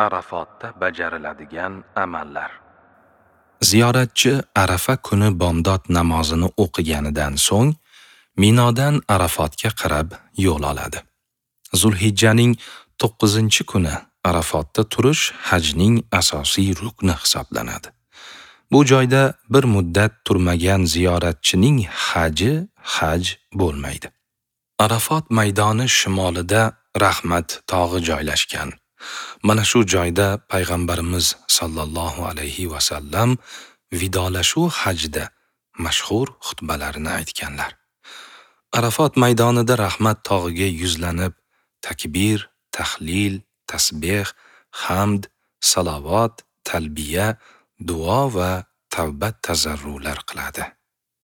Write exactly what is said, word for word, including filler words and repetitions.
Arafotda bajariladigan amallar. Ziyoratchi Arafa kuni bomdod namozini o'qiganidan so'ng Minodan Arafotga qarab yo'l oladi. Zulhijjaning to'qqizinchi kuni Arafotda turish hajning asosiy rukni hisoblanadi. Bu joyda bir muddat turmagan ziyoratchining haji haj bo'lmaydi. Arafot maydoni shimolida Rahmat tog'i joylashgan. Mana shu joyda payg'ambarimiz sallallohu alayhi va sallam vidolashuv hajida mashhur xutbalarini aytganlar. Arafot maydonida Rahmat tog'iga yuzlanib takbir, tahlil, tasbih, hamd, salovat, talbiya, duo va tavba tazarrular qiladi.